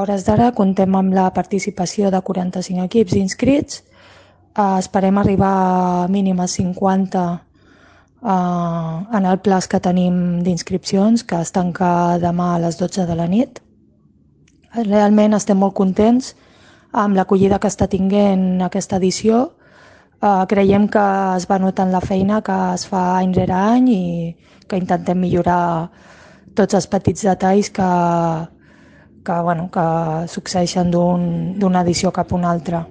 A hores d'ara comptem amb la participació de 45 equips inscrits. Esperem arribar a mínim a 50 en el plaç que tenim d'inscripcions, que es tanca demà a les 12 de la nit. Realment estem molt contents amb l'acollida que està tinguent aquesta edició. Creiem que es va notant la feina que es fa any rere any i que intentem millorar tots els petits detalls que succeeixen d'una edició cap a una altra.